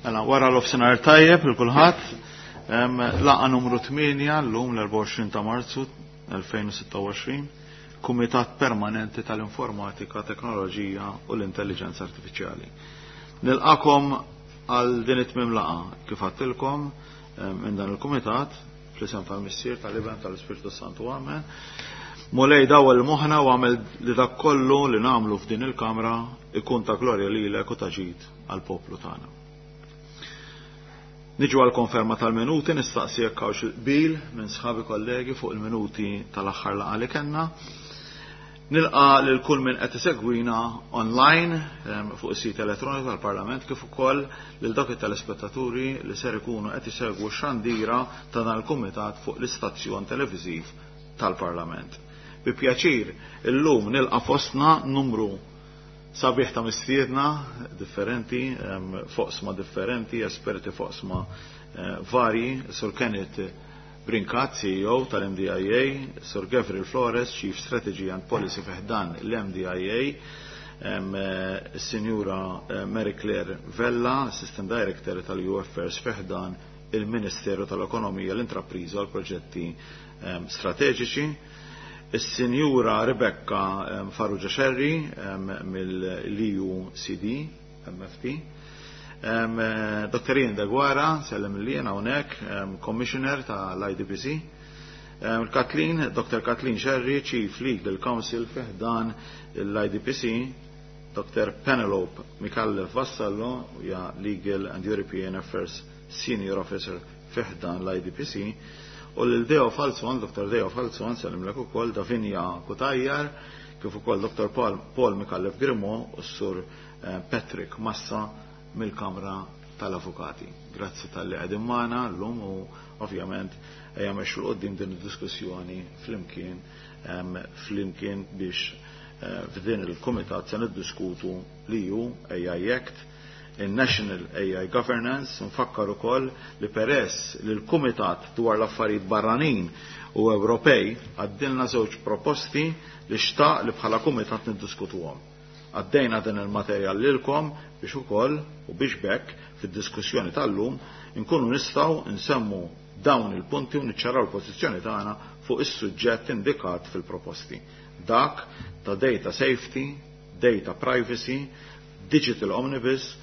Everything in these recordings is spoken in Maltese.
Mela, wara l-ofsenar tajjeb il kulħadd. Laqa numru 8 llum l-24 ta' Marzu 2026, Kumitat Permanenti tal-Informatika, Teknoloġija u l-Intelligenza Artifiċjali. Nilqakom għal din it-tmim laqa kif għattilkom minn dan il-Kumitat fl-isem tal-Missier, tal-Iben, tal-Ispirtu Santu Amen. Mulej dawwal moħħna u għamel li dak kollu li nagħmlu f'din il-kamra ikun ta' glorja lilek u ta' ġid għall-poplu tagħna. Niġu għal konferma tal-minuti, nistaqsi jekk hawnx qbil minn sħabi kollegi fuq il-minuti tal-aħħar laqgħa li kellna. Nilqa lil kull min qed isegwina online fuq is-sit elettroniku tal-Parlament kif ukoll lil dawk it-telespettaturi li ser ikunu qed isegwu x-xandira ta' dan il-kumitat fuq l-istazzjon televiżiv tal-Parlament. Bi pjaċir illum nilqa' fostna numru sabiħ ta' mistiedna differenti, foqsma differenti, esperti foqsma varji, Sur Kenneth Brincat, CEO tal-MDIA, Sur Gavril Flores, Chief Strategy and Policy fi ħdan l-MDIA, Sinjura Mary Claire Vella, Assistant Director tal-EU Affairs fi ħdan il-Ministeru tal-Ekonomija, l-Intrapriża u l-Proġetti Strateġiċi, Is-Sinjura Rebecca Farrugia Scerri mill-EU CD MFT, Dr. Ian Deguara, sellem li jena hawnhekk, Commissioner tal-IDPC, Kathleen, Dr. Kathleen Scerri, Chief Legal Counsel fi ħdan l-IDPC, Dr. Penelope Micallef Vassallo, hija Legal and European Affairs Senior Officer fi ħdan l-IDPC, u lil Deo Falzon, Dr. Deo Falzon, sellimlek ukoll Davinia Cutajar, kif ukoll Dr. Paul, Paul Micallef Grimo u s-Sur Patrick Massa mill-Kamra tal-Avukati. Grazzi talli qegħdin magħna llum u ovvjament ejja mexxu 'l quddiem din id-diskussjoni flimkien biex f'din il-kumitat se niddiskutu l-EU AI Act, il-National AI Governance. Nfakkar ukoll li peress li l-Kumitat dwar l-affarijiet barranin u Ewropej għaddilna żewġ proposti li xtaq li bħala kumitat niddiskutuhom. Għaddejna din il-materjal lilkom biex ukoll u biex bekk fid-diskussjoni tal-lum inkunu nistgħu nsemmu dawn il-punti u niċċaraw l-pożizzjoni tagħna fuq is-suġġett indikat fil-proposti. Dak ta' data safety, data privacy, digital omnibus,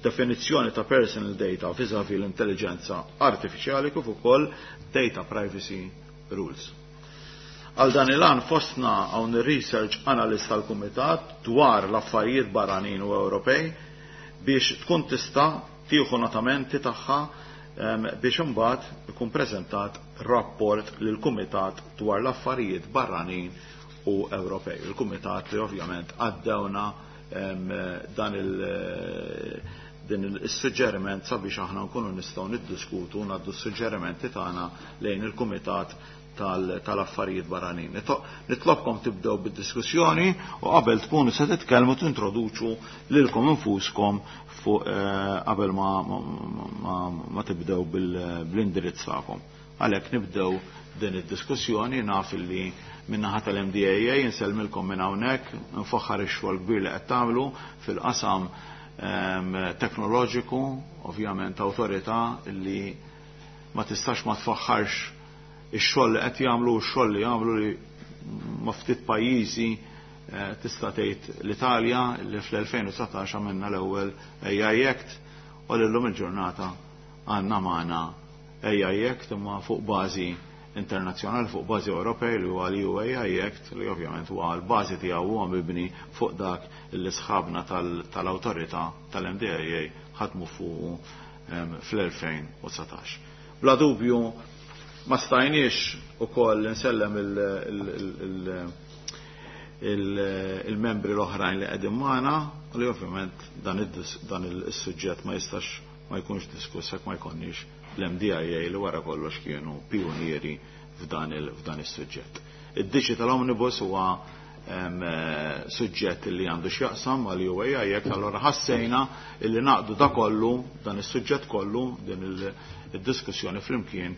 definizzjoni ta' personal data vis-a-vis l-intelligenza artificiali kif ukoll data privacy rules. Għal dan il-għan fostna hawn il-research analyst tal-Kumitat dwar l-affarijiet barranin u Ewropej biex tkun tista' tieħu notamenti tagħha biex imbagħad ikun preżentat rapport lil kumitat dwar l-affarijiet barranin u Ewropej. Il-kumitat li ovvjament għaddewna dan il din il-suġġeriment sabiex aħna nkunu nistgħu niddiskutu u ngħaddu s-suġġerimenti tagħna lejn il-kumitat tal-affarijiet barranin. Nitlobkom tibdew bid-diskussjoni u qabel tkunu se titkellmu tintroduċu lilkom infuskom fuq qabel ma tibdew bl-indirizz tagħkom. Għalhekk nibdew din id-diskussjoni. Naf li min-naħa tal-MDAA insellmilkom minn hawnhekk, nfaħħar ix-xogħol kbir li qed tagħmlu fil-qasam teknoloġiku, ovvjament awtorità li ma tistax ma tfaħħarx ix-xogħol li qed jagħmlu u x-xogħol li jagħmlu li ma ftit pajjiżi, tista' tgħid l-Italja li fl-2019 għamilna l-ewwel AI Act u llum il-ġurnata għandna magħna AI Act imma fuq bażi internazzjonali, fuq bażi Ewropej, li huwa l-EU AI Act, li ovvjament huwa l-bażi tiegħu huwa mibni fuq dak li sħabna tal-awtorità tal-MDIA ħadmu fuq fl-2019. Bla dubju ma stajniex ukoll nsellem il-membri l-oħrajn li qegħdin magħna u li ovvjament dan is-suġġett ma jistax ma jkunx diskuss jekk ma jkollniex l-MDIA li wara kollox kienu pionieri f'dan is-suġġett. Id-Digital Omnibus huwa suġġett li għandu x'jaqsam għal AI Act, allora ħassejna illi naqdu da kollu, dan is-suġġett kollu, din id-diskussjoni flimkien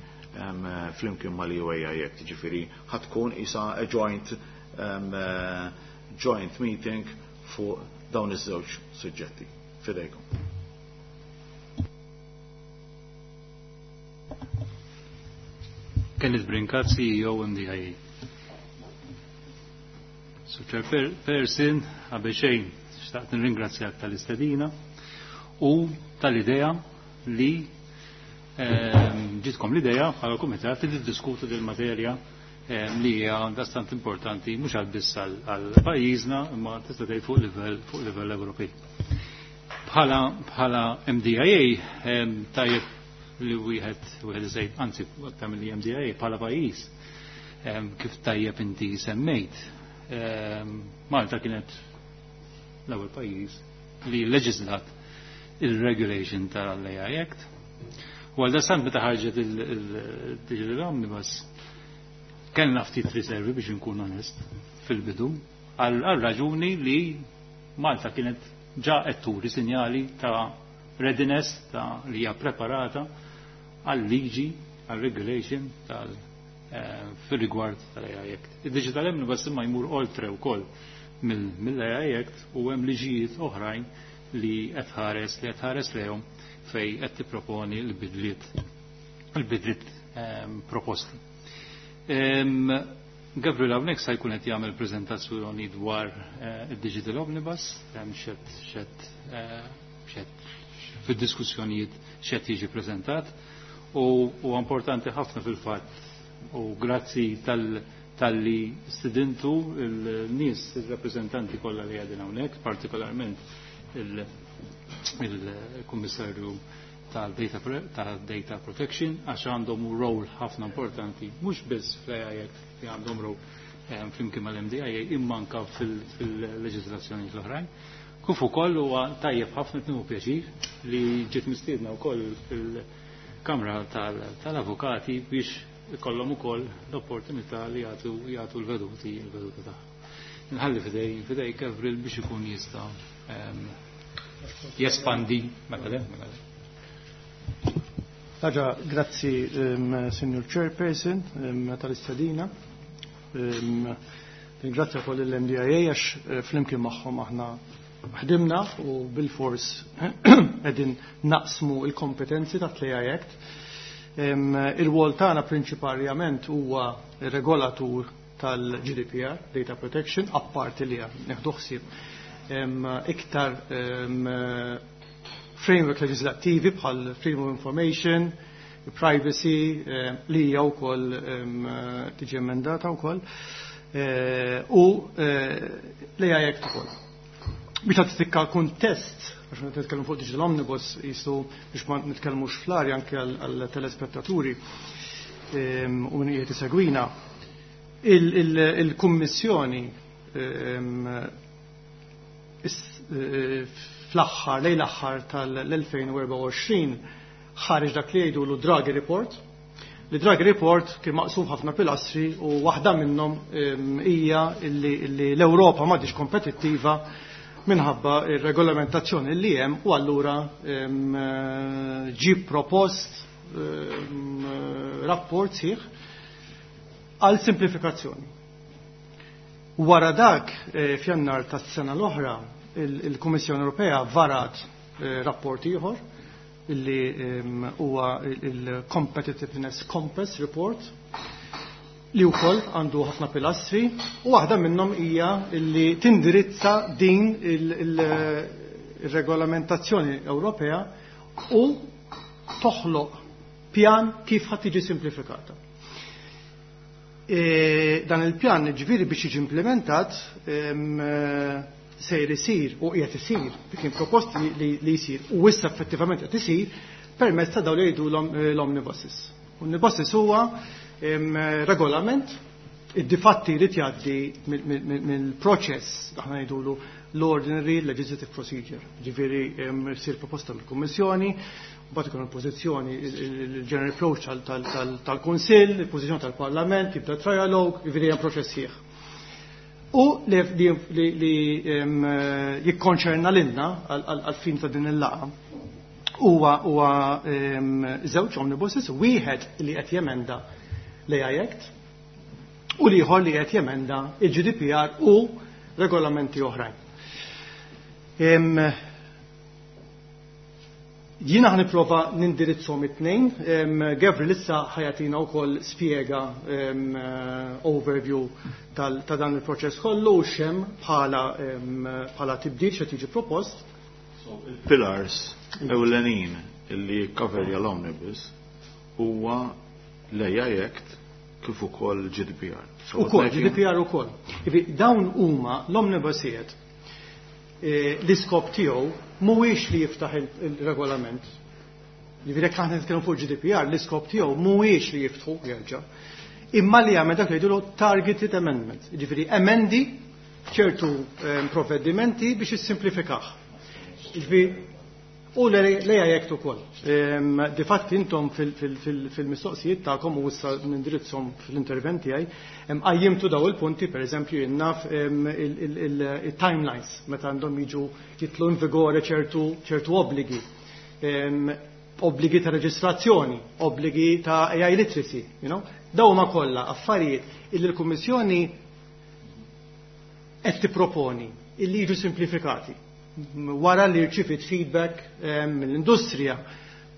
mal-EU AI Act, ġifieri ħatkun isa a joint meeting fuq dawn iż-żewġ suġġetti. Fidejkom. Kenneth Brincat, CEO MDIA. Sur Chairperson, qabel xejn, xtaqt nirringrazzjak tal-istedina u tal-idea li ġitkom l-idea bħala kumitat li tiddiskutu del materja li hija dastant importanti mhux għal biss għal pajjiżna imma tista' tgħid fuq livell Ewropej. Bħala MDIA tajjeb li wieħed iżejt anzi aktar mill MDIA bħala pajjiż kif tajjeb inti semmejt. Malta kienet l-ewwel pajjiż li leġislat il-regulation tal-AI Act. U għal dastant meta ħarġet il-Digital Omnibus kellna ftit riservi biex nkun onest fil-bidu għal raġuni li Malta kienet ġa qed turi sinjali ta' readiness ta' li hija preparata għal liġi għal regulation tal fil-rigward tal-AI Act. Il-Digital Omnibus imma jmur oltre wkoll mill-AI Act u hemm liġijiet oħrajn li qed ħares li qed ħares lejhom fej qed tipproponi l-bidliet proposti. Gabriel hawnhekk se jkun qed jagħmel preżentazzjoni dwar id-Digital Omnibus, hemm xed fid-diskussjonijiet xed jiġi preżentat u importanti ħafna fil-fatt u grazzi tal-li stidintu il-nies, il-rappreżentanti kollha li qegħdin hawnhekk, partikolarment il-Kummissarju tal-Data Protection, għax għandhom rol ħafna importanti, mhux biss fl-AI Act li għandhom rol flimkien mal-MDIA, imma anka fil-leġiżlazzjoni l-oħrajn. Kif ukoll huwa tajjeb ħafna tnieħu pjaċir li ġiet mistiedna wkoll il-Kamra tal-Avukati biex ikollhom ukoll l-opportunità li jagħtu l-veduti l-veduti tagħha. Nħalli fidej Gavril biex ikun jista' jespandi. Mela. Ħaġa, grazzi Signor Chairperson tal-istedina. Ringrazzja wkoll il-MDIA għax flimkien magħhom aħna ħdimna u bil-fors qegħdin naqsmu il-kompetenzi ta' AI Act. Il-wol tagħna prinċiparjament huwa regolatur tal-GDPR, Data Protection, apparti li neħdu ħsieb iktar framework leġislattivi bħal Freedom of Information, privacy, li hija wkoll tiġi emendata wkoll, u l-AI Act ukoll. Biex tagħti kuntest, għax meta nitkellmu fuq Digital Omnibus jisu biex ma nitkellmux fl-arja anke għal telespettaturi u min qiegħed isegwina, il-Kummissjoni fl-aħħar, lejn l-aħħar tal-2024 ħareġ dak li jgħidu l Draghi Report. Li Draghi Report kien maqsum ħafna pilastri u waħda minnhom hija li l-Ewropa m'għadix kompetittiva minħabba ir-regolamentazzjoni li hemm u allura ġie propost rapport sieħ għal simplifikazzjoni. Wara dak f'Jannar tas-sena l-oħra il-Kummissjoni Ewropea varat rapport ieħor illi huwa il-Competitiveness Compass Report li wkoll għandu ħafna pilastri u waħda minnhom hija li tindirizza din il-regolamentazzjoni Ewropea u toħloq pjan kif ħadd tiġi simplifikata. Dan il-pjan ġifieri biex jiġi implementat sejr isir u qiegħed isir, kien propost li jsir u issa effettivament qed isir permezz ta' dawn li jgħidu l-omnibuses. Omnibuses huwa regolament id-difatti jrid jgħaddi mill-proċess aħna ngħidulu l-ordinary legislative procedure. Ġifieri jsir proposta mill-Kummissjoni, mbagħad ikun il-pożizzjoni il-general approach tal-Kunsill, il-pożizzjoni tal-Parlament, jibda trialogue, ġifieri hemm proċess sħiħ. U li jikkonċerna lilna għal-fin ta' din il-laqgħa huwa żewġ omnibuses, wieħed li qed jemenda l-AI Act u l-ieħor li qed jemenda il-GDPR u regolamenti oħrajn. Jiena ħa nipprova nindirizzhom it-tnejn. Gavril issa ħa jagħtina wkoll spjega, overview ta' dan il-proċess kollu u x'hemm bħala tibdil x'qed jiġi propost. So, il-pillars ewlenin illi jikkaverja l-omnibus huwa l-AI Act kif ukoll GDPR. So, ukoll, GDPR ukoll. Dawn huma l-omnibusijiet, l-iskop tiegħu mhuwiex li jiftaħ il-regolament. Jiġifieri jekk aħna nitkellmu fuq GDPR, l-iskop tiegħu mhuwiex li jiftħu jerġa'. Imma li jagħmel dak li jgħidulu targeted amendments, jiġifieri emendi ċertu provvedimenti biex jissimplifikah. Jiġifieri u l-AI Act ukoll. Difatti intom fil-mistoqsijiet tagħkom, u issa nindirizzhom fl-intervent tiegħi, qajjimtu daw il-punti, pereżempju jien naf il-timelines meta għandhom jiġu jidħlu in vigore ċertu obbligi. Obbligi ta' reġistrazzjoni, obbligi ta' AI literacy. Daw ma kollha affarijiet illi l-Kummissjoni qed tipproponi illi jiġu simplifikati wara li rċivit feedback mill-industrija,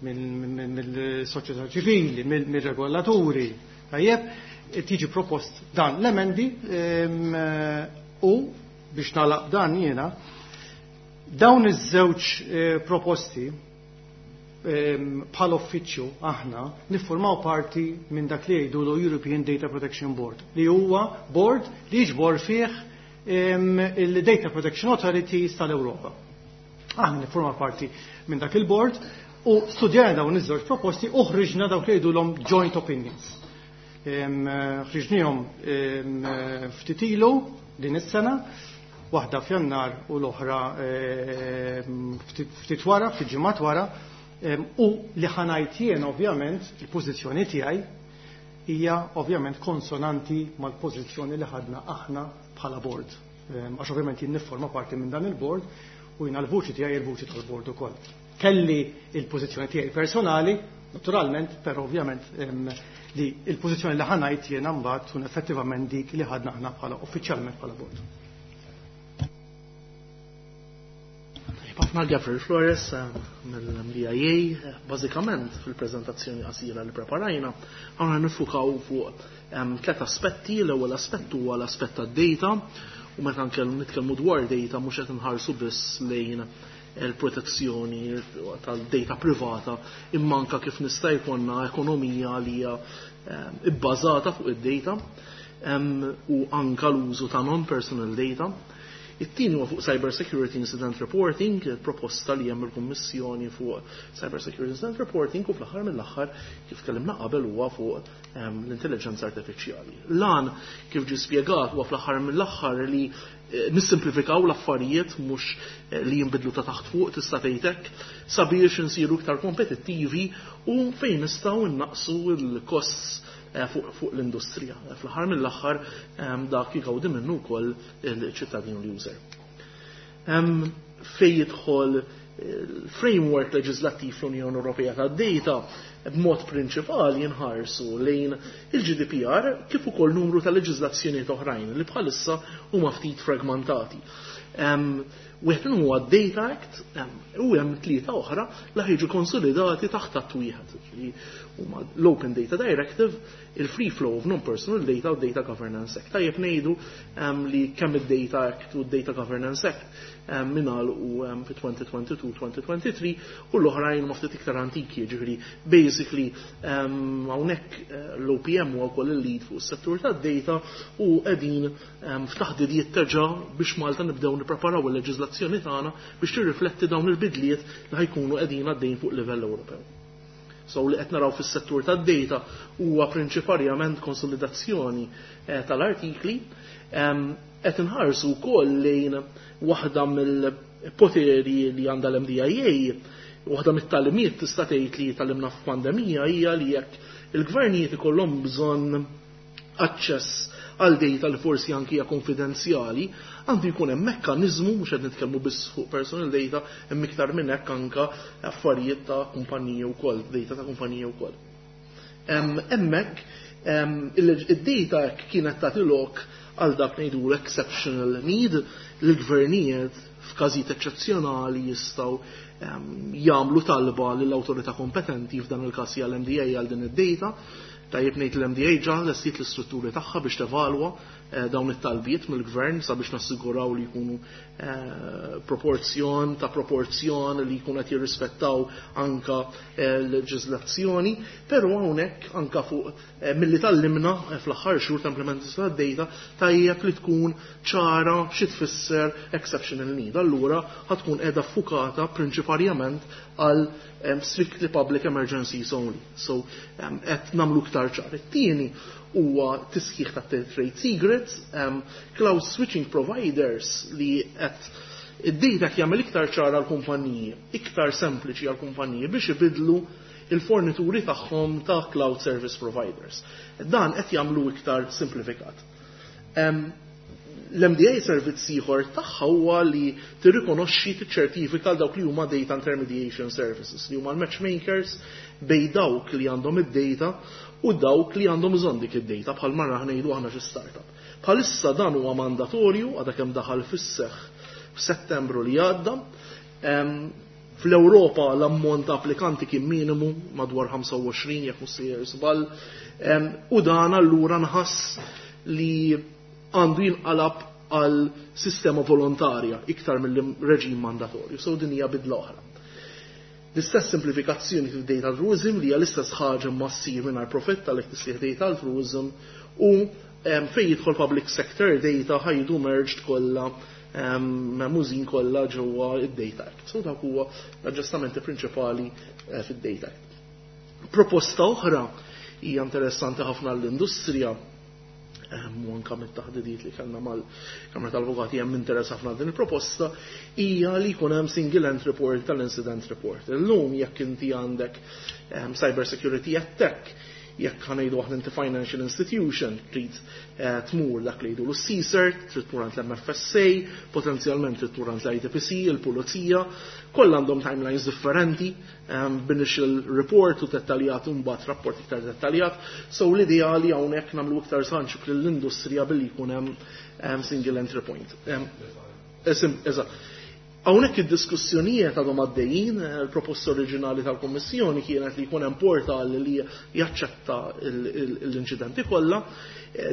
mill-soċjetà ċivili, mill-regolaturi. Tajjeb, tiġi propost dan l-emendi, u biex nagħlaq dan jiena, dawn iż-żewġ proposti, bħal uffiċċju aħna niffurmaw parti minn dak li jgħidu l European Data Protection Board, li huwa board li jiġbor fih il-Data Protection Authorities tal-Europa. Aħna niffurmaw parti minn dak il-board u studjajna dawn iż-żewġ proposti u ħriġna dawk li jgħidulhom joint opinions. Ħriġnihom ftit ilu din is-sena, waħda f'Jannar u l-oħra ftit wara, ftit ġimgħat wara, u li ħa ngħid jien, ovvjament, il-pożizzjoni tiegħi hija ovvjament konsonanti mal-pożizzjoni li ħadna aħna bħala board. Għax ovvjament jien nifforma parti minn dan il-board u jiena l-vuċi tiegħi il-vuċi tal-board ukoll. Kelli il-pożizzjoni tiegħi personali, naturalment, però ovvjament li il-pożizzjoni li ħa ngħid jiena mbagħad tkun effettivament dik li ħadna aħna bħala uffiċjalment bħala board. Ħafna, Gabriel Flores mill-MDIA. Bażikament fil-preżentazzjoni qasira li preparajna, aħna niffukaw fuq tliet aspetti. L-ewwel aspett huwa l-aspett tad-data, u meta nitkellmu dwar data mhux qed inħarsu biss lejn il-protezzjoni tal-data privata, imma anka kif nista' jkollna ekonomija li hija ibbażata fuq id-data u anka l-użu ta' non-personal data. It-tieni huwa fuq Cyber Security Incident Reporting, proposta li hemm il-Kummissjoni fuq Cyber Security Incident Reporting, u fl-aħħar mill-aħħar, kif tkellimna qabel, huwa fuq l-intelligenza artifiċjali. Lan, kif ġi spjegat, huwa fl-aħħar mill-aħħar li nissimplifikaw l-affarijiet, mhux li jinbidlu ta' taħt fuq, tista' tgħidek, sabiex insiru iktar kompetittivi u fejn nistgħu innaqsu l-costs fuq l-industrija. Fl-aħħar mill-aħħar dak jgawdi minnu wkoll il-ċittadin u l-user. Fej jidħol il-framework leġislattiv fl-Unjoni Ewropea tad-data, b'mod prinċipali jinħarsu lejn il-GDPR kif ukoll numru ta' leġiżlazzjonijiet oħrajn li bħalissa huma ftit fragmentati. Wieħed minnhom huwa Data Act u hemm tlieta oħra li ħa jiġu konsolidati taħt att wieħed. Huma l-Open Data Directive, il-Free Flow of Non-Personal Data u Data Governance Act. Tajjeb ngħidu li kemm id-Data Act u d-Data Governance Act mingħal u fi 2022-2023 u l-oħrajn ma ftit iktar antiki, ġifieri basically hawnhekk l-OPM huwa wkoll il-lead fuq is-settur tad-data u qegħdin f'taħdidiet terġa' biex Malta nibdew nippreparaw il-leġiżlazzjoni tagħna biex tirrifletti dawn il-bidliet li ħa jkunu qegħdin għaddejn fuq livell Ewropew. So li qed naraw fis-settur tad-data huwa prinċiparjament konsolidazzjoni tal-artikli. Qed inħarsu wkoll lejn waħda mill-poteri li għandha l-MDIA, waħda mit-tagħlimiet, tista' tgħid, li tgħallimna f'pandemija hija li jekk il-gvernijiet ikollhom bżonn aċċess għal data li forsi anki hija konfidenzjali, għandu jkun hemm mekkaniżmu, mhux qed nitkellmu biss fuq personal data, hemm iktar minn hekk, anka affarijiet ta' kumpaniji wkoll, data ta' kumpaniji wkoll. Hemmhekk id-data kienet tagħti lok għal dak ngħidu l-exceptional need, li l-gvernijiet f'każijiet eċċezzjonali jistgħu jagħmlu talba lill-awtorità kompetenti, f'dan il-każ hija l-MDA, għal din id-data. Tajjeb ngħid, l-MDA ġa lestiet l-istrutturi tagħha biex tevalwa dawn it-talbiet mill-gvern sabiex nassiguraw li jkunu proporzjon ta' proporzjon li jkunu qed jirrispettaw anka leġiżlazzjoni, però hawnhekk anka fuq milli tgħallimna fl-aħħar xhur ta' implementazzjoni tad-data, tajjeb li tkun ċara xi tfisser exceptional need. Allura ħa tkun qiegħda ffukata prinċiparjament għal strictly public emergencies only. So qed nagħmlu iktar ċar. It-tieni huwa tisħiħ ta' trade secrets, cloud switching providers li qed id-data jagħmel iktar ċara għal kumpaniji, iktar sempliċi għal kumpaniji biex ibidlu il-fornituri tagħhom ta' cloud service providers. Dan qed jagħmlu iktar simplifikat. L-MDA servizz ieħor tagħha huwa li tirrikonoxxi, tiċċertifika dawk li huma data intermediation services, li huma l-matchmakers bejn dawk li għandhom id-data u dawk li għandhom bżonn dik id-data, bħal marra ngħidu aħna xi startup. Bħalissa dan huwa mandatorju, għadha kemm daħal fis-seħħ f'Settembru li għadda. Fl-Ewropa l-ammont ta' applikanti kien minimu, madwar 25 jekk mhux sejjer żball, u dan allura nħass li għandu jinqalab għal sistema volontarja iktar mill-reġim mandatorju. So din hija bidla oħra. L-istess simplifikazzjoni fil data altruism, li hija l-istess ħaġa ma ssir mingħajr profitt, għalhekk tisih data altruism, u fejn jidħol public sector data ħa jiġu merged kollha, memużin kollha ġewwa id-Data Act. So dak huwa l-aġġustamenti prinċipali fid-Data Act. Proposta oħra hija interessanti ħafna l-industrija u anka mit-taħdidiet li kellna mal-Kamra tal-Avukati hemm interess ħafna din il-proposta, hija li jkun hemm single entry report tal-incident report. Illum jekk inti għandek cyber security attack, jekk ħa ngħidu aħna inti financial institution, trid tmur dak li jgħidu l-CSIRT, trid tmur għand l-MFSA, potenzjalment trid tmur għand l-ITPC, il-Pulizija, kollha għandhom timelines differenti, b'initial report u dettaljat u mbagħad rapport iktar dettaljat. So l-ideali hawnhekk nagħmlu iktar sanċib lill-industrija billi jkun hemm single entry point. Eżatt. Hawnhekk id-diskussjonijiet għadhom għaddejjin, il-proposta oriġinali tal-Kommissjoni kienet li jkun hemm portal li jaċċetta l-inċidenti kollha.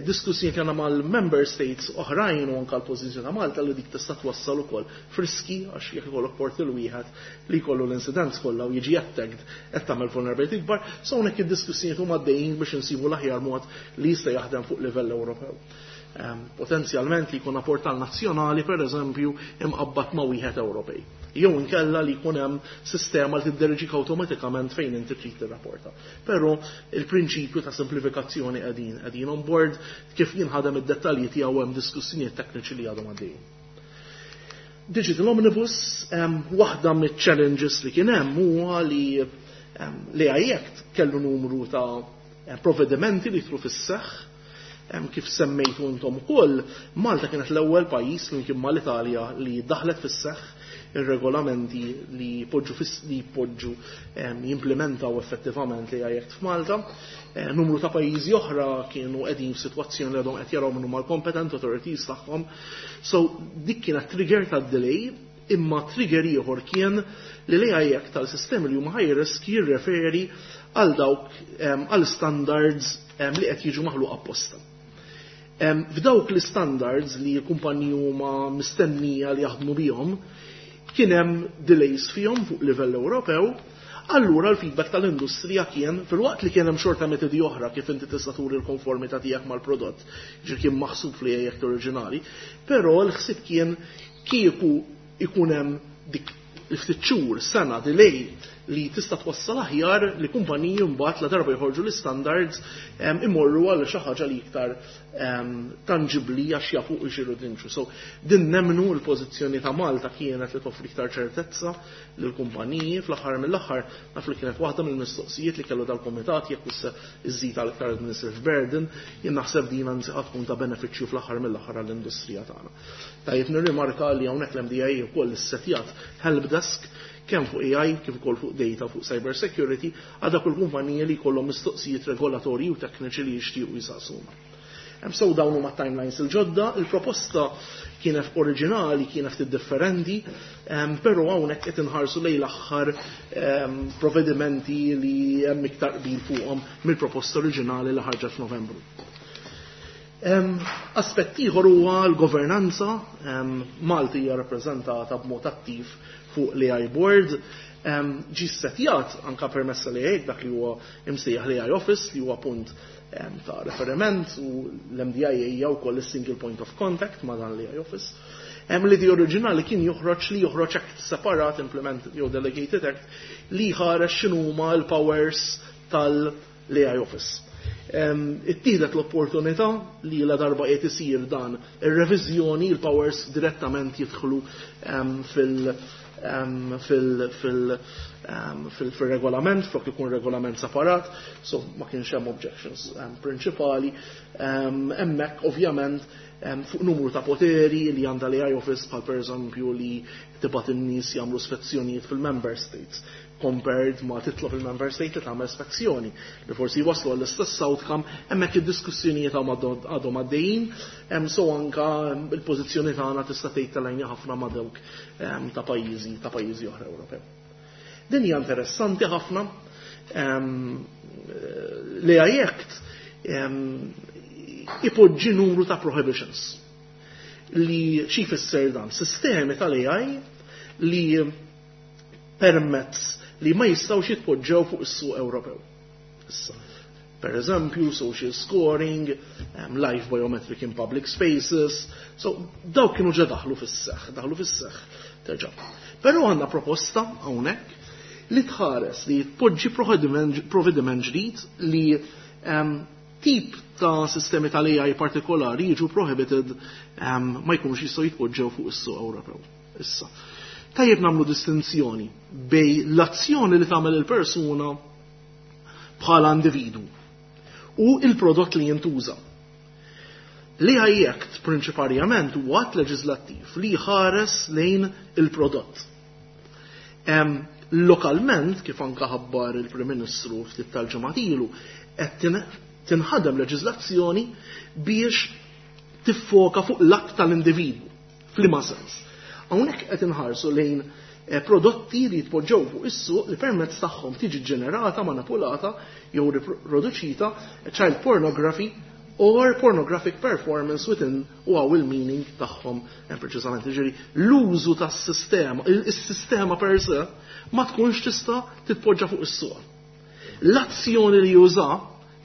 Diskussjoni kellna mal-member states oħrajn u anke l-pożizzjoni ta' Malta li dik tista' twassal ukoll f'riski, għax jekk ikollok portal wieħed li jkollu l-incidents kollha u jiġi attacked, qed tagħmel vulnerability kbar. So hawnhekk id-diskussjonijiet huma għaddejjin biex insibu l-aħjar mod li jista' jaħdem fuq livell Ewropew. Potenzjalment li jkun portal nazzjonali, per eżempju, imqabbad ma' wieħed Ewropej. Jew inkella li jkun hemm sistema li tidderġik awtomatikament fejn inti trid tirrapporta. Però il-prinċipju ta' simplifikazzjoni qegħdin on board, kif jinħadem id-dettalji tiegħu hemm diskussjonijiet tekniċi li għadhom għaddejjin. Digital Omnibus, waħda mit-challenges li kien hemm huwa li l-AI Act kellu numru ta' provvedimenti li jidħlu fis-seħħ. Kif semmejtu intom ukoll, Malta kienet l-ewwel pajjiż li kien mal-Italja li daħlet fis-seħħ ir-regolamenti li jpoġġu, jimplementaw effettivament l-AI Act f'Malta. Numru ta' pajjiżi oħra kienu qegħdin f'sitwazzjoni li għadhom qed jaraw minnu mal-competent authorities tagħhom. So dik kienet trigger ta' delay, imma trigger ieħor kien li l-AI Act tal-sistemi li huma high risk jirreferi għal dawk għal standards li qed jiġu maħluq apposta. F'dawk l-standards li l-kumpaniji huma mistennija li jaħdmu bihom, kien hemm delays fihom fuq livell Ewropew. Allura l-feedback tal-industrija kien, filwaqt li kien hemm xorta metodi oħra kif inti tista' turi l-konformità tiegħek mal-prodott, ġir kien maħsub fl-AI Act oriġinali, però l-ħsieb kien kieku ikun hemm dik il-ftit xhur, sena delay li tista' twassal aħjar li kumpaniji mbagħad la darba jħorġu l-standards imorru għal xi ħaġa li iktar tangibli għax jafu jxiru dinċu. So din nemnu l-pożizzjoni ta' Malta kienet li toffri iktar ċertezza lill-kumpaniji. Fl-aħħar mill-aħħar naf li kienet waħda mill-mistoqsijiet li kellu dal-komitat jekk issa iżid għal iktar administrative burden, jien naħseb din anzi tkun ta' benefiċċju fl-aħħar mill-aħħar għall-industrija tagħna. Tajjeb nirrimarka li hawnhekk l-MDA wkoll issetjat help desk kemm fuq AI kif ukoll fuq data, fuq cyber security, għal dak il-kumpaniji li jkollhom mistoqsijiet regolatorji u tekniċi li jixtiequ jisaqsuna. So dawn huma timelines il-ġodda, il-proposta kienet oriġinali, kienet ftit differenti, però hawnhekk qed inħarsu lejn l-aħħar provvedimenti li hemm iktar qbil fuqhom mill-proposta oriġinali li ħarġet f'Novembru. Aspett ieħor huwa l-governanza. Malti hija rappreżentata b'mod attiv fuq l-AI Board. Ġi setjat anka permessa li dak li huwa imsejjaħ l-AI Office, li huwa punt ta' referiment, u l-MDIA hija wkoll is-single point of contact ma' dan l-AI Office. Hemm l-idea oriġinali kien joħroġ li joħroġ act separat, implement jew delegated act, li ħareġ x'inhuma l-powers tal-AI Office. Ittieħdet l-opportunità li la darba qed isir dan ir-reviżjoni, il-powers direttament jidħlu fil-regolament, flok ikun regolament separat, so ma kienx hemm objections prinċipali. Hemmhekk ovvjament fuq numru ta' poteri li għandha l-AI Office, bħal per eżempju li tibgħat in-nies jagħmlu spezzjonijiet fil-member states compared ma titlob il-member state li tagħmel spezzjoni li forsi jwaslu għall-istess outcome. Hemmhekk id-diskussjonijiet għadhom għaddejjin, hemm so anka il-pożizzjoni tagħna tista' tgħid tal ħafna ma' dawk ta' pajjiżi oħra Ewropew. Din hija interessanti ħafna. L-AI Act ipoġġi numru ta' prohibitions li xi jfisser dan sistemi tal-AI li permezz li ma jistgħux jitpoġġew fuq is-suq Ewropew. Issa, per eżempju, social scoring, live biometric in public spaces, so dawk kienu ġa daħlu fis-seħħ, terġa'. Però għandna proposta hawnhekk li tħares li tpoġġi provvediment ġdid li tip ta' sistemi tal-AI partikolari jiġu prohibited, ma jkunux jistgħu jitpoġġew fuq is-suq Ewropew. Issa, tajjeb nagħmlu distinzjoni bejn l-azzjoni li tagħmel il-persuna bħala individu u il-prodott li jintuża. L-AI Act prinċiparjament huwa att leġislattiv li jħares lejn il-prodott. Lokalment, kif anka ħabbar il-Prim Ministru ftit tal-ġimgħat ilu, qed tinħadem leġiżlazzjoni biex tiffoka fuq l-att tal-individwu. F'liema sens? Hawnhekk qed inħarsu lejn prodotti li jitpoġġew fuq is-suq li permezz tagħhom tiġi ġenerata, manipulata jew riproduċita child pornography or pornographic performance within, u hawn il-meaning tagħhom preċiżament. Ġifieri l-użu tas-sistema, il-sistema per se ma tkunx tista' titpoġġa fuq is-suq. L-azzjoni li juża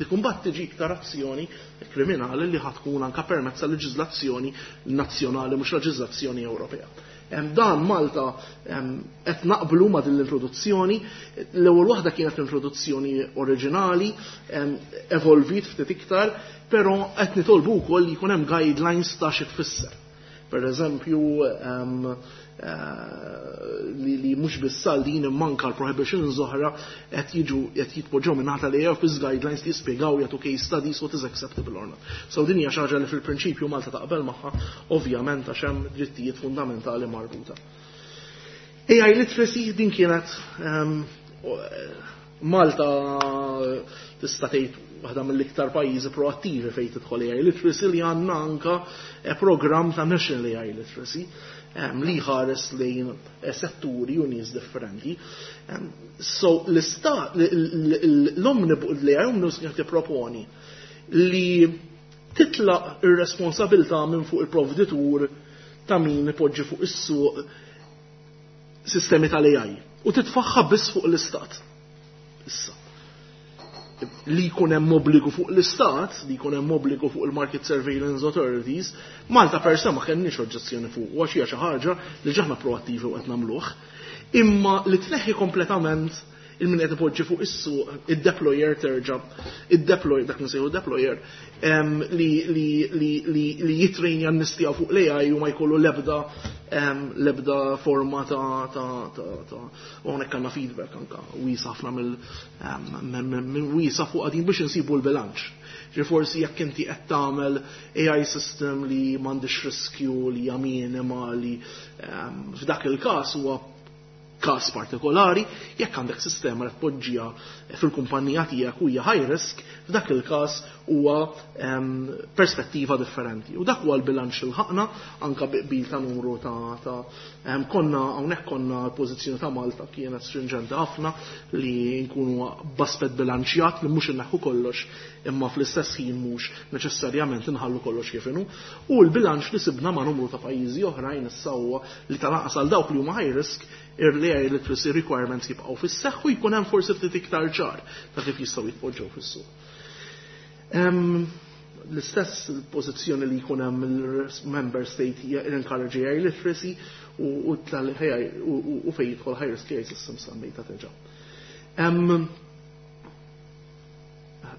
dik mbagħad tiġi iktar azzjoni kriminali li ħatkun anka permezz tal-leġiżlazzjoni nazzjonali, mhux leġiżlazzjoni Ewropea. Dan Malta qed naqblu ma' din l-introduzzjoni. L-ewwel waħda kienet l-introduzzjoni oriġinali, evolvit ftit iktar, però qed nitolbu wkoll li jkun hemm guidelines ta' xi tfisser. Per eżempju, li mhux biss din imma anka l-prohibitions oħra qed jiġu qed jitpoġġew minn naħa li office guidelines li jispjegaw, jagħtu case studies what is acceptable or not. So din hija xi ħaġa li fil-prinċipju Malta taqbel magħha, ovvjament għax hemm drittijiet fundamentali marbuta. AI literacy, din kienet Malta tista' tgħid waħda mill-iktar pajjiżi proattivi fejn tidħol AI literacy, li għandna anka program ta' National AI Literacy li ħares lejn setturi u nies differenti. So l-istat l-omnibus li omnibus kien tipproponi li titlaq ir-responsabilità minn fuq il-provditur ta' min ipoġġi fuq is-suq sistemi tal-AI u titfaħħa biss fuq l-istat. Issa, li jkun hemm obbligu fuq l-istat, li jkun hemm obbligu fuq il-Market Surveillance Authorities, Malta per se ma kenniex oġġezzjoni fuq, u għax hija xi ħaġa li ġaħna proattivi u qed nagħmluh. Imma li tneħħi kompletament il-min qed ipoġġi fuq is-suq, id-deployer terġa', id-deploy, dak nsejħu deployer, li jitrejnja n-nies tiegħu fuq l-AI u ma jkollu l-ebda forma ta' u hawnhekk għandna feedback anka wiesa' ħafna mill wiesa' fuq għadin biex insibu l-bilanċ. Ġi forsi jekk inti qed tagħmel AI system li m'għandix riskju, li hija minima, li f'dak il-każ huwa każ partikolari, jekk għandek sistema li tpoġġiha fil-kumpanija tiegħek u hija high risk, f'dak il-każ huwa perspettiva differenti. U dak huwa l-bilanċ li ħaqna anka bil ta' numru ta' konna hawnhekk konna l-pożizzjoni ta' Malta kienet stringenti ħafna li nkunu b'aspett bilanċjat li mhux inneħħu kollox imma fl-istess ħin mhux neċessarjament inħallu kollox kif inhu. U l-bilanċ li sibna ma' numru ta' pajjiżi oħrajn issa huwa li tal-anqas għal dawk li huma high risk l-AI literacy requirements jibqgħu fis-seħħ u jkun hemm forsi ftit iktar ċar ta' kif jistgħu jitpoġġew fis-suq. L-istess pożizzjoni li jkun hemm il-member state encourage AI literacy u u fejn jidħol high risk AI systems semmejta diġà.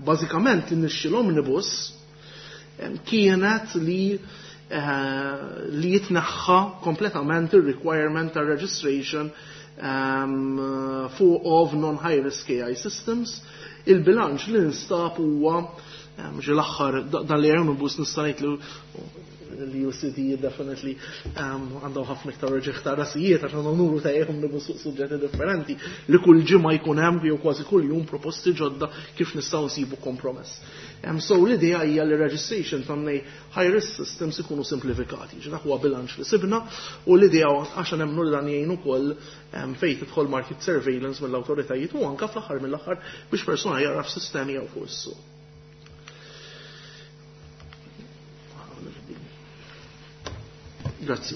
Bażikament nixxi l-omnibus kienet li jitneħħa kompletament il-requirement ta' registration fuq of non-high risk AI systems. Il-bilanċ li nstab huwa ġi l-aħħar dan li omnibus nista' ngħid li l-UCD definitely għandhom ħafna iktar reġeħ ta' rasijiet għax għandhom numru ta' omnibus fuq suġġetti differenti li kull ġimgħa jkun hemm jew kważi kull jum proposti ġodda kif nistgħu nsibu kompromess. So l-idea hija li registration ta' high risk systems ikunu simplifikati. Ġi dak huwa bilanċ li sibna u l-idea għax nemmnu li dan jgħin ukoll fejn tidħol market surveillance mill-awtoritajiet u anke fl-aħħar mill-aħħar biex persuna jaraf sistemi jew fuq is-suq. Grazzi.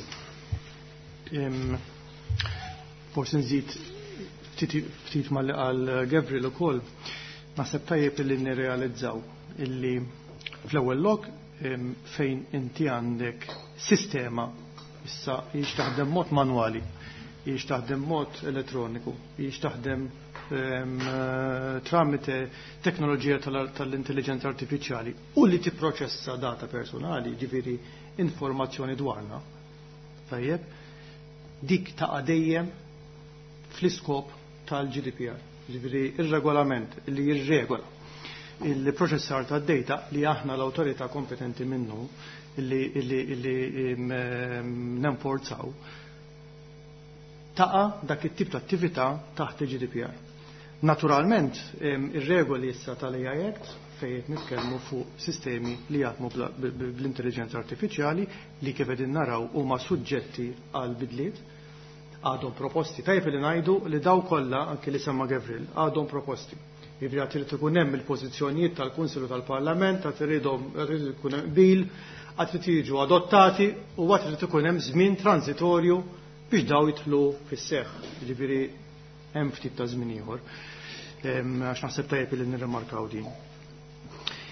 Forsi nżid ftit ma li qal Gabriel ukoll. Naħseb tajjeb li nirrealizzaw illi fl-ewwel lok fejn inti għandek sistema issa hijiex taħdem mod manwali, hijiex taħdem mod elettroniku, hijiex taħdem tramite teknoloġija tal-intelligenza artifiċjali u li tipproċessa data personali, ġifieri informazzjoni dwarna. Tajjeb, dik ta' dejjem fl-iskop tal-GDPR. Ġifieri ir-regolament li jirregola il-proċessar ta' data li aħna l-awtorità kompetenti minnu li nenforzaw taqa dak it-tip ta' attività taħt il-GDPR. Naturalment, ir-regoli issa tal-AI Act fejn qed nitkellmu fuq sistemi li jaħdmu bl-intelligenza artifiċjali li kif qegħdin naraw huma suġġetti għal bidliet, għadhom proposti. Tajjeb li ngħidu li daw kollha anke li semma Gavril għadhom proposti. Jiġifieri għad irid ikun hemm il-pożizzjonijiet tal-Kunsill u tal-Parlament, għad irid ikun hemm qbil, għad irid jiġu adottati u għad irid ikun hemm żmien transitorju biex daw jidħlu fis-seħħ. Jiġifieri hemm ftit ta' żmien ieħor. Għax naħseb tajjeb li nirrimarkaw din.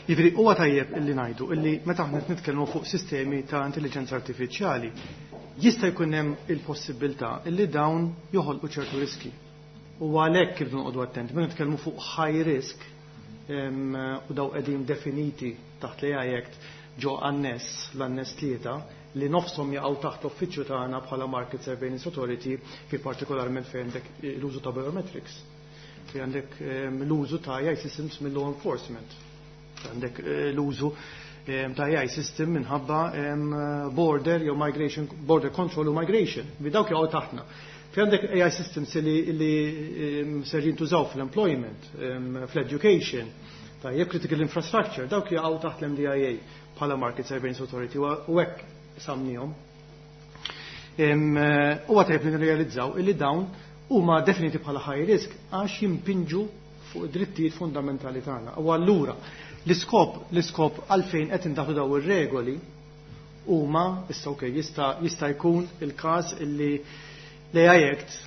Jiġifieri huwa tajjeb illi ngħidu illi meta aħna nitkellmu fuq sistemi ta' intelligenza artifiċjali jista' jkun hemm il-possibilità illi dawn joħolqu ċertu riski. U għalhekk kif noqogħdu attenti, meta nitkellmu fuq high risk u daw qegħdin definiti taħt l-AI Act ġo annes, l-annes 3, li nofshom jaqgħu taħt l-uffiċċju tagħna bħala Market Surveillance Authority, fi partikolarment fejn għandek l-użu ta' biometrics, fejn għandek l-użu ta' AI systems mill-law enforcement, għandek l-użu ta' AI system minħabba border jew migration, border control u migration, bi dawk jaqgħu taħtna. Fi għandek AI systems li ser jintużaw fl-employment, fl-education, tajjeb critical infrastructure, dawk jaqgħu taħt l-MDIA bħala Market Surveillance Authority u hekk samnihom. Huwa tajjeb li nirrealizzaw illi dawn huma definiti bħala high risk għax jimpinġu fuq id-drittijiet fundamentali tagħna. U allura l-iskop għalfejn qed indaħlu daw ir-regoli huma issa okej jista' jkun il-każ illi l-AI Act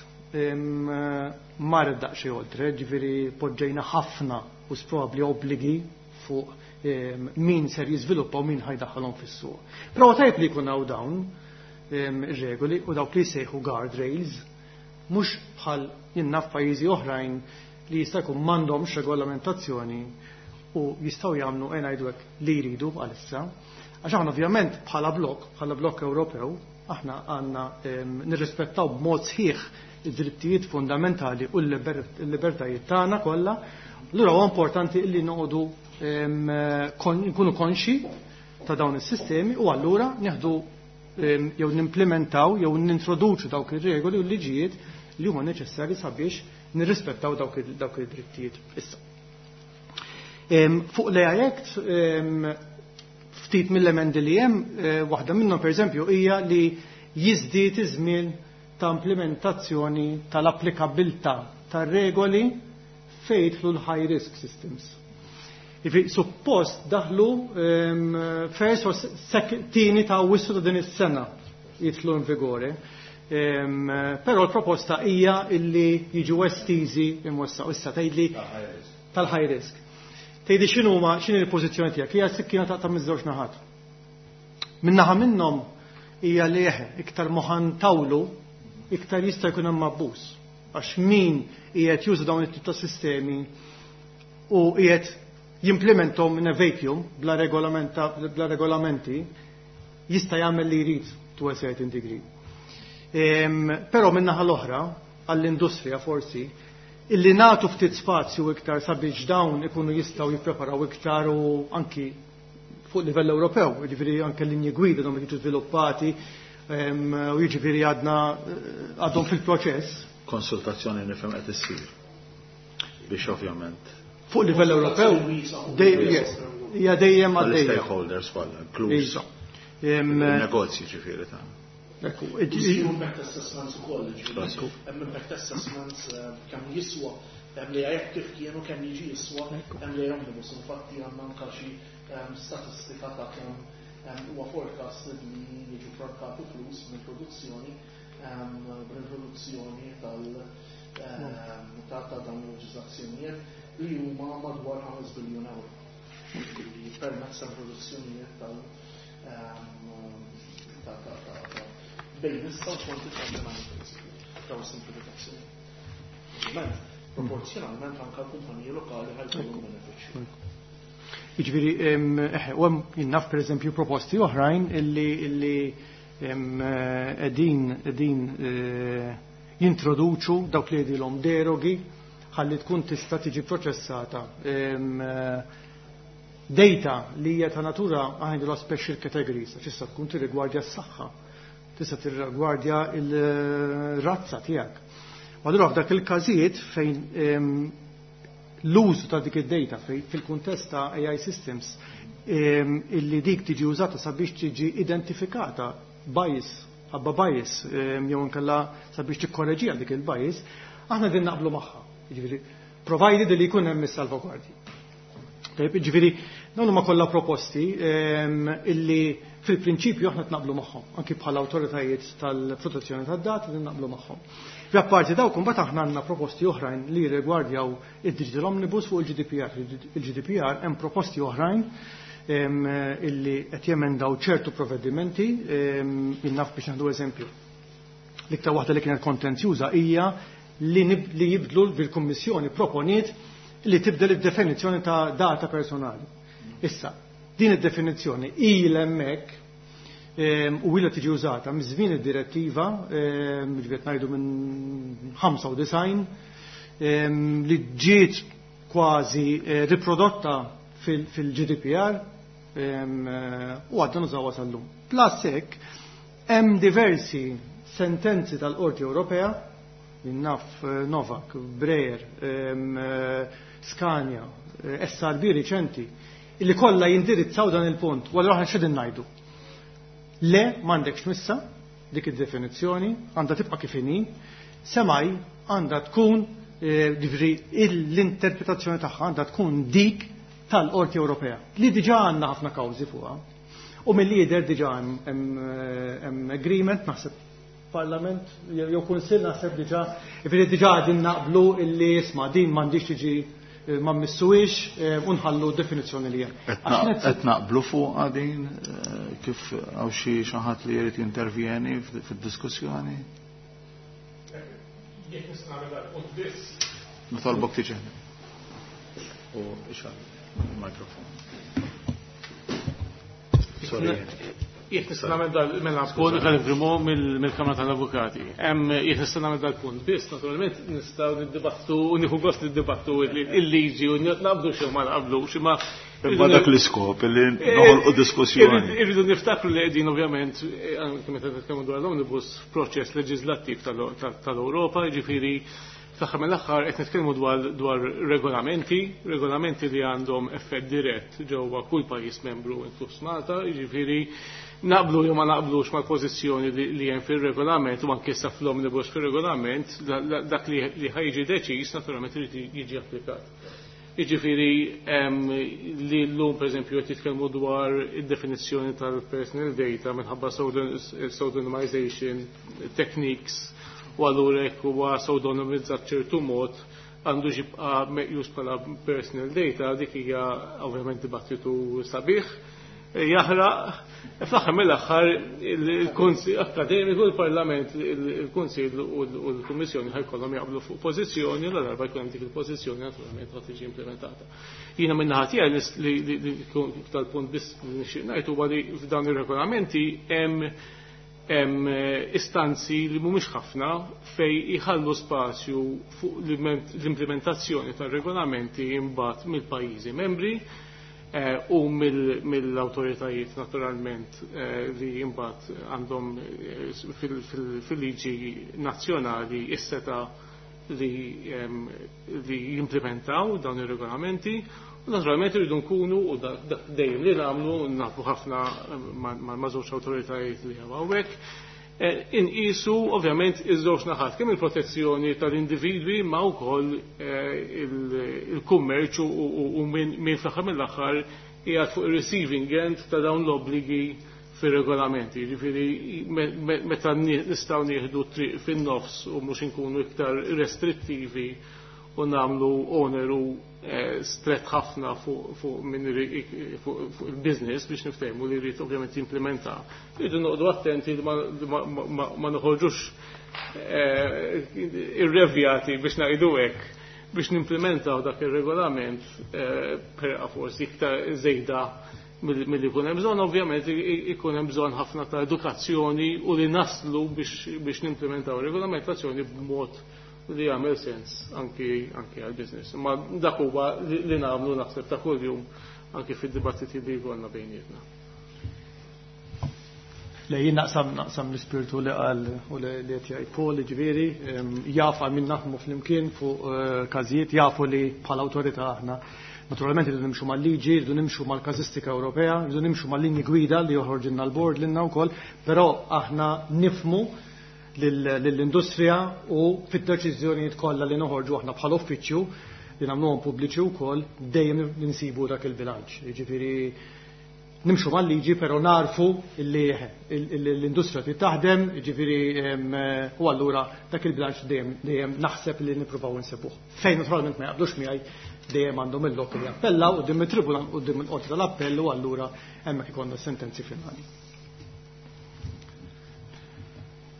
mar daqsxejn oltre, ġifieri poġġejna ħafna u probabbli obbligi fuq min ser jiżviluppa u min ħajdaħħalhom fis-suq. Però tajjeb li jkun hawn dawn ir-regoli u dawk li jsejħu guardrails, mhux bħal jinnaf pajjiżi oħrajn li jista' jkun m'għandhomx regolamentazzjoni u jistgħu jagħmlu e ngħidu hekk li jridu għalissa. Għax aħna ovvjament bħala blokk Ewropew, aħna għandna nirrispettaw b'mod sħiħ id-drittijiet fundamentali u l-libertajiet tagħna kollha. Allura huwa importanti li noqogħdu nkunu konxi ta' dawn is-sistemi u allura nieħdu jew nimplementaw jew nintroduċu dawk ir-regoli u l-liġijiet li huma neċessarji sabiex nirrispettaw dawk id-drittijiet. Issa. Fuq l-AI Act, ftit mill-emendi li hemm, waħda minnhom pereżempju hija li jiżdied iż-żmien ta' implementazzjoni tal-applikabilità tar-regoli fejn jidħlu l-high risk systems. Jiġifieri suppost daħlu first or tieni ta' Awwissu ta' din is-sena jidħlu in vigore. Però l-proposta hija illi jiġu estiżi imwessa. Issa tgħidli tal-high risk. Tgħidli x'inhuma x'inhi l-pożizzjoni tiegħek? Hija sikkina taqta' miż-żewġ naħat. Min-naħa minnhom hija li eħe, iktar moħan tawlu, iktar jista' jkun hemm abbuż. Għax min qiegħed juża dawn it-tip ta' sistemi u qiegħed jimplementhom in a vacuum bla regolamenta, bla regolamenti, jista' jagħmel li jrid to a certain degree. Però min-naħa l-oħra, għall-industrija forsi, illi nagħtu ftit spazju iktar sabiex dawn ikunu jistgħu jippreparaw iktar u anki fuq livell Ewropew, jiġifieri anke linji gwida dawn jiġu żviluppati u jiġifieri għadna għadhom fil-proċess. Konsultazzjoni nifhem qed issir biex ovvjament. Fuq livell Ewropew, yes, hija dejjem għaddejja. Stakeholders kollha, inkluż. Negozji ġifieri ta' Ekku, impact assessments ukoll, ġifieri. Hemm impact assessments kemm jiswa, hemm li jekk kif kienu kemm jiġi jiswa, hemm li omnibus, infatti għandna anke xi statistika ta' kemm huwa forecast li jiġu frankati flus mill-produzzjoni bl-introduzzjoni tal ta' dawn il-leġiżlazzjonijiet li huma madwar 5 biljun euro. Permezz ta' produzzjonijiet tal ta' bejn issa u 2029 daw simplifikazzjoni. Ovvjament, proporzjonalment anke l-kumpaniji lokali ħa jkollhom benefiċċju. Jiġifieri, eħe, u hemm jien naf pereżempju proposti oħrajn illi qegħdin jintroduċu dawk li jgħidilhom derogi ħalli tkun tista' tiġi proċessata data li hija ta' natura għandha special categories, għax issa tkun tirrigwardja s-saħħa, tista' tirrigwardja il-razza tiegħek. U allura f'dak il-każijiet fejn l-użu ta' dik id-data fil-kuntest ta' AI systems illi dik tiġi użata sabiex tiġi identifikata bias, ħabba bias, jew inkella sabiex tikkorreġiha dik il-bias, aħna din naqblu magħha. Jiġifieri, provided li jkun hemm is-salvagwardji. Tajjeb, jiġifieri, dawn huma kollha proposti illi fil-prinċipju aħna tnaqblu magħhom, anki bħala awtoritajiet tal-protezzjoni tad-data li naqblu magħhom. Apparti dawk imbagħad aħna għandna proposti oħrajn li rigwardjaw id-Digital Omnibus fuq il-GDPR. Il-GDPR hemm proposti oħrajn illi qed jemendaw ċertu provvedimenti, jien naf biex naħdu eżempju. L-iktar waħda li kienet kontenzjuża hija li jibdlu bil-Kummissjoni proponiet li tibdel id-definizzjoni ta' data personali. Issa, din id-definizzjoni ilha hemmhekk u ilha tiġi użata miż-żmien id-direttiva, ġifieri ngħidu minn 95, li ġiet kważi riprodotta fil-GDPR u għadna nużawha sal-lum. Plus hekk hemm diversi sentenzi tal-Qorti Ewropea, naf Novak, Breyer, Scania, SRB riċenti, illi kollha jindirizzaw dan il-punt. U allura aħna x'qegħdin ngħidu? Le, m'għandekx missa dik id-definizzjoni, għandha tibqa' kif inhi, semmai għandha tkun ġifieri l-interpretazzjoni tagħha għandha tkun dik tal-Qorti Ewropea, li diġà għandna ħafna kawżi fuqha. U mill-lider diġà hemm agreement, naħseb Parlament jew Kunsill naħseb diġà, ġifieri diġà qegħdin naqblu illi isma' din m'għandix tiġi ma mmissuwix u nħallu definizzjoni li hemm. Qed naqblu fuq din kif hawn xi ħadd li jrid jintervjeni fid-diskussjoni? Jekk nista' nagħmel dal-punt biss. Nitolbok tiġi. U ixgħal il-mikrofon. Sorry. Jekk nista' nagħmel dal mela punt tal-Grimo mill-Kamra tal-Avukati. Jekk nista' nagħmel dal-punt biss, naturalment nistgħu niddibattu u nieħu gost niddibattu il-liġi u naqblu xi ma naqblux, imma Imma dak l-iskop li noħolqu diskussjoni. Irridu niftakru li qegħdin ovvjament anke meta nitkellmu dwar l-omnibus proċess leġislattiv tal-Ewropa, jiġifieri fl-aħħar mill-aħħar qed nitkellmu dwar regolamenti, regolamenti li għandhom effett dirett ġewwa kull pajjiż membru inkluż Malta, jiġifieri naqblu jew ma naqblux mal-pożizzjoni li hemm fir-regolament u anke issa fl-omnibus fir-regolament, dak li ħajġi deċiż naturalment irid jiġi applikat. Jiġifieri li llum pereżempju qed jitkellmu dwar id-definizzjoni tal-personal data minħabba pseudonymization techniques u allura jekk huwa pseudonymizzat ċertu mod għandu jibqa' meqjus bħala personal data, dik hija ovvjament dibattitu sabiħ. Jaħraq, fl-aħħar mill-aħħar il-Kunsill Akkademiku, il-Parlament, il-Kunsill u l-Kummissjoni ħajkollhom jaqblu fuq pożizzjoni, la darba jkun hemm dik il-pożizzjoni naturalment ħa tiġi implementata. Jiena min-naħa tiegħi li tal-punt biss li nixtieq ngħid huwa li f'dawn ir-regolamenti hemm istanzi li mhumiex ħafna fej iħallu spazju fuq l-implementazzjoni tar-regolamenti imbagħad mill-pajjiżi membri u mill-awtoritajiet naturalment li imbagħad għandhom fil-liġi nazzjonali is-seta li jimplementaw dawn ir-regolamenti. U naturalment irridu nkunu, u dak dejjem li nagħmlu, nafu ħafna ma' żewġ awtoritajiet li hawnhekk, inqisu ovvjament iż-żewġ naħat, kemm il-protezzjoni tal-individwi ma wkoll il-kummerċ u min fl-aħħar mill-aħħar qiegħed fuq ir-receiving end ta' dawn l-obbligi fir-regolamenti. Jiġifieri meta nistgħu nieħdu triq fin-nofs u mhux inkunu iktar restrittivi u nagħmlu oneru stret ħafna fuq il-business biex niftehmu li jrid ovvjament jimplementa. Irridu noqogħdu attenti li ma noħorġux irrevjati biex ngħidu hekk biex nimplementaw dak ir-regolament perqa forsi iktar żejda milli jkun hemm bżonn, ovvjament ikun hemm bżonn ħafna ta' edukazzjoni u li naslu biex nimplementaw regolamentazzjoni b'mod li jagħmel sens anki għall-business. Ma dak huwa li nagħmlu naħseb ta' kuljum anki fid-dibattiti li jkollna bejnietna. Le, jien naqsam l-ispirtu li qal u li qed jgħid Paul, ġifieri, jaf għal min naħdmu flimkien fuq każijiet, jafu li bħala awtorità aħna naturalment irridu nimxu mal-liġi, irridu nimxu mal-każistika Ewropea, irridu nimxu mal-linji gwida li joħorġilna l-bord lilna wkoll, però aħna nifmu lill-industrija u fid-deċiżjonijiet kollha li noħorġu aħna bħala uffiċċju li nagħmluhom pubbliċi wkoll dejjem ninsibu dak il-bilanċ. Jiġifieri nimxu mal-liġi però narfu li l-industrija trid taħdem, jiġifieri u allura dak il-bilanċ dejjem naħseb li nippruvaw insibuh. Fejn naturalment ma jaqblux miegħi dejjem għandhom il-lok li jappellaw quddiem it-tribunal quddiem il-qorti tal-appell u allura hemmhekk ikollna sentenzi finali.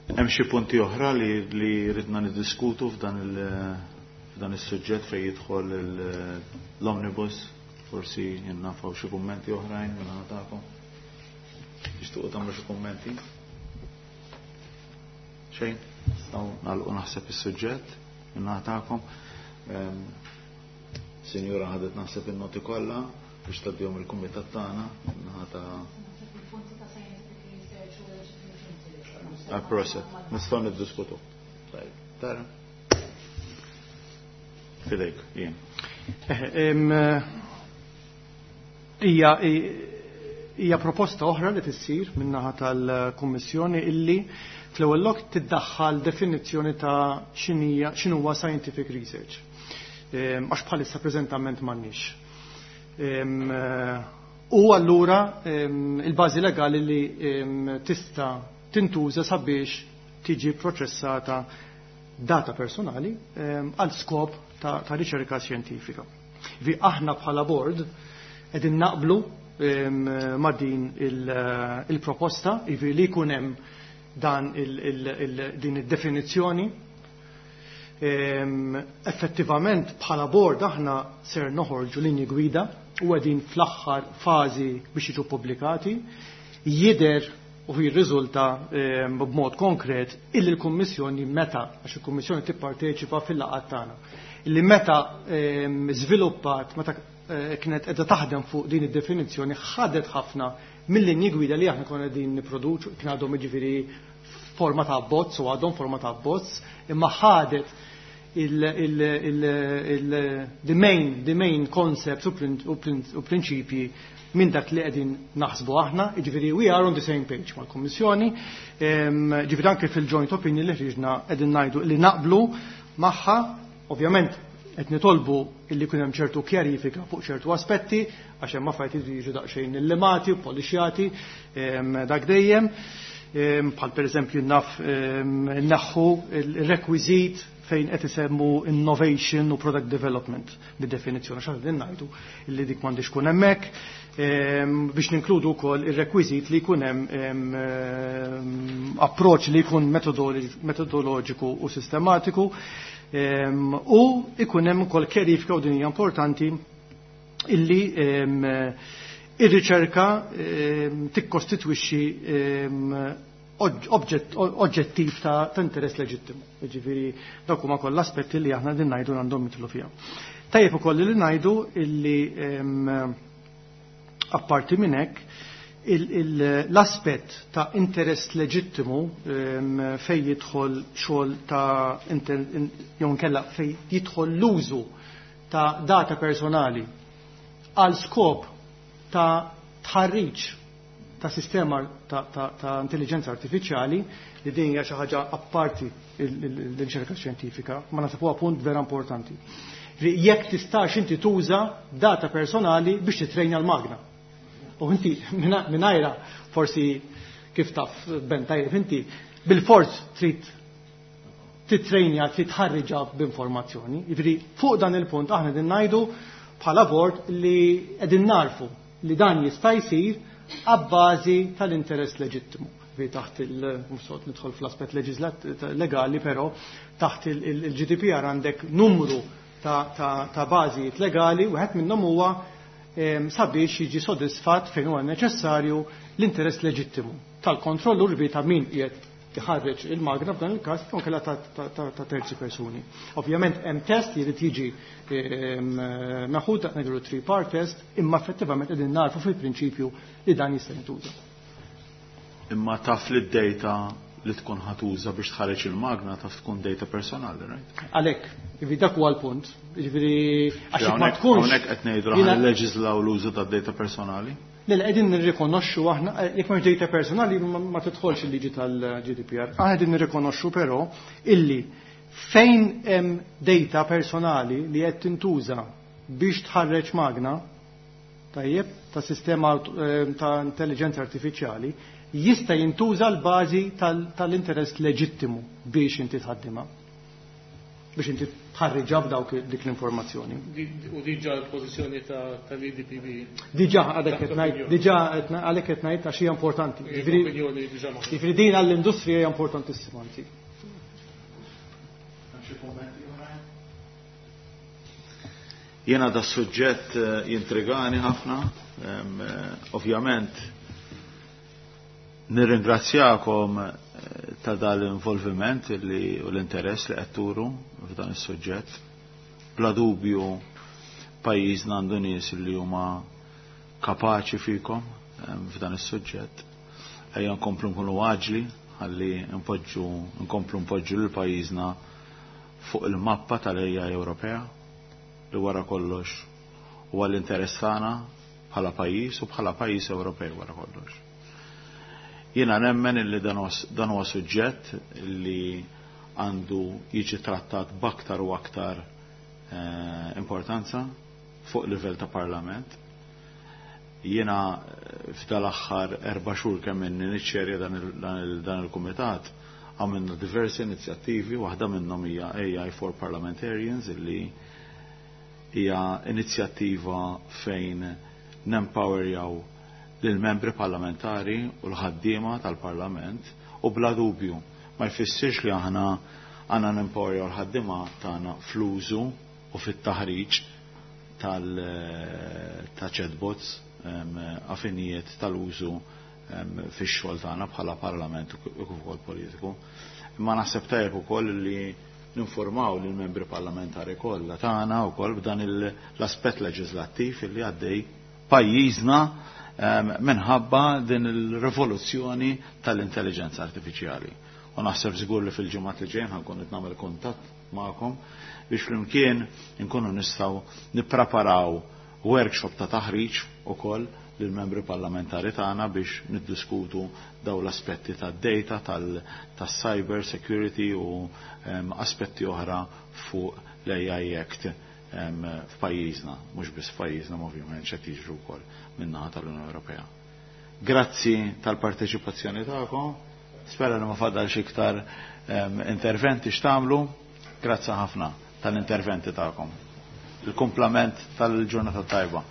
Hemm xi punti oħra li ridna niddiskutu f'dan is-suġġett fejn jidħol l-omnibus, forsi jinnafaw xi kummenti oħrajn minn naħa tagħkom. Tixtuqu tagħmlu xi kummenti? Xejn? Nistgħu nagħlqu naħseb is-suġġett minn naħa tagħkom. Sinjura ħadet naħseb in-noti kollha biex tgħaddihom il-kumitat tagħna naħa ta' Proset, nistgħu niddiskutu. Tajb, tara. Fidejk, jien. Hija proposta oħra li tissir min-naħa tal-Kummissjoni illi fl-ewwel lok tiddaħħal definizzjoni ta' x'inhuwa scientific research. Għax bħalissa preżentament m'għandniex. U allura il-bażi legali li tista' tintuża sabiex tiġi proċessata data personali għal skop ta' riċerka xjentifika. Vi aħna bħala board qegħdin naqblu ma' din il-proposta, jiġifieri li jkun hemm dan din id-definizzjoni. Effettivament bħala board aħna ser noħorġu linji gwida u qegħdin fl-aħħar fażi biex jiġu pubblikati. Jidher u jirriżulta b'mod konkret illi l-Kummissjoni meta, għax il-Kummissjoni tipparteċipa fil-laqgħat tagħna, illi meta żviluppat, meta kienet qiegħda taħdem fuq din id-definizzjoni, ħadet ħafna mill-linji gwida li aħna konna qegħdin nipproduċu, kien għadhom jiġifieri forma ta' abbozz u għadhom forma ta' abbozz, imma ħadet the main, the main concepts u prinċipji minn dak li qegħdin naħsbu aħna, jiġifieri we are on the same page mal-Kummissjoni, jiġifieri anke fil-joint opinion li ħriġna qegħdin ngħidu li naqblu magħha, ovvjament qed nitolbu illi jkun hemm ċertu kjarifika fuq ċertu aspetti, għax hemm affarijiet li jiġu daqsxejn illimati u polixjati dak dejjem, bħal pereżempju naf naħħu il-rekwiżit fejn qed isemmu innovation u product development bid-definizzjoni, x'aħna qegħdin ngħidu li dik m'għandix tkun hemmhekk, biex ninkludu wkoll ir-rekwiżit li jkun hemm approċċ li jkun metodoloġiku u sistematiku, u jkun hemm ukoll kjarifika, u din hija importanti, illi ir-riċerka tikkostitwixxi oġġettiv ta' interess leġittimu. Jiġifieri dawk huma kollha aspetti li aħna din ngħidu għandhom jidħlu fiha. Tajjeb ukoll li ngħidu illi apparti minn hekk l-aspett ta' interess leġittimu fejn jidħol xogħol ta' jew inkella fejn jidħol l-użu ta' data personali għal skop ta' tħarriġ ta' sistema ta' intelligenza artifiċjali, li din hija xi ħaġa apparti l-riċerka xjentifika, ma nasab huwa punt vera importanti. Jekk tistax inti tuża data personali biex titrejna l-magna. U inti mingħajra forsi kif taf Ben tajjeb inti bil-fors trid titrejnja, trid tħarriġha b'informazzjoni. Jiġifieri fuq dan il-punt aħna din ngħidu bħala bord li qegħdin narfu li dan jista' jsir għabbażi tal-interess leġittimu. Vi taħt il-musot nidħol fl-aspett legali, però taħt il-GDPR għandek numru ta' bażijiet legali, wieħed minnhom huwa sabiex jiġi sodisfatt fejn huwa neċessarju l-interess leġittimu tal-kontrollur bi ta' min qiegħed iħarreġ il-magna f'dan il-każ jew kellha ta' terzi persuni. Ovvjament hemm test li jrid jiġi meħud, dak ngħidu three part test, imma effettivament qegħdin narfu fil-prinċipju li dan jista' jintuża. Imma taf li d-data li tkun ħatuża biex tħareġ il-magna taf tkun data personali, right? Għalhekk, jiġifieri dak huwa l-punt. Jiġifieri għax ma tkunx. Hawnhekk qed ngħidu aħna leġislaw l-użu tad-data personali. Le, qegħdin nirrikonoxxu aħna, jekk m'hemmx data personali ma tidħolx il-liġi tal-GDPR. Aħna qegħdin nirrikonoxxu però illi fejn hemm data personali li qed tintuża biex tħarreġ magna, tajjeb, ta' sistema ta' intelligenza artifiċjali, jista' jintuża l-bażi tal-interess leġittimu biex inti tħaddimha, biex inti tħarriġha b'dawk dik l-informazzjoni. U diġà l-pożizzjoni tal-EDPB. Diġà għadek qed ngħid, diġà għalhekk qed ngħid għax hija importanti. Jiġifieri din għall-industrija hija importantissima anzi. Jiena da suġġett jintrigani ħafna, ovvjament nirringrazzjakom ta' dal-involviment li u l-interess li qed turu f'dan is-suġġett. Bla dubju pajjiżna għandu nies li huma kapaċi fikom f'dan is-suġġett. Ejja nkomplu nkunu għaġli ħalli nkomplu npoġġu lil pajjiżna fuq il-mappa tal-AI Ewropea li wara kollox huwa l-interess tagħna bħala pajjiż u bħala pajjiż Ewropej wara kollox. Jiena nemmen illi dan huwa suġġett li għandu jiġi trattat b'aktar u aktar importanza fuq livell ta' parlament. Jiena f'dal-aħħar 4 xhur kemm inni niċċerja dan il-kumitat, għamilna diversi inizjattivi, waħda minnhom hija AI for Parliamentarians, illi hija inizjattiva fejn nempowerjaw lill-membri parlamentari u l-ħaddiema tal-Parlament, u bla dubju ma jfissirx li aħna għandna nempowerjaw l-ħaddiema tagħna fl-użu u fit-taħriġ ta' chatbots għafinijiet tal-użu fix-xogħol tagħna bħala parlament u kif ukoll politiku. Imma naħseb tajjeb ukoll li ninformaw lill membri parlamentari kollha tagħna wkoll b'dan l-aspett leġislattiv li għaddej pajjiżna minħabba din il-rivoluzzjoni tal-intelligenza artifiċjali. U naħseb żgur li fil-ġimgħat li ġejjin ħankun qed nagħmel kuntatt magħkom biex flimkien inkunu nistgħu nippreparaw workshop ta' taħriġ ukoll lill-membri parlamentari tagħna biex niddiskutu daw l-aspetti tad-data, tas-cyber security u aspetti oħra fuq l-AI Act f'pajjiżna, mhux biss f'pajjiżna ovvjament x'qed jiġru wkoll min-naħa tal-Unjoni Ewropea. Grazzi tal-parteċipazzjoni tagħkom, spera li ma fadalx iktar interventi x'tagħmlu, grazzi ħafna tal-interventi tagħkom. Il-kumplament tal-ġurnata tajba.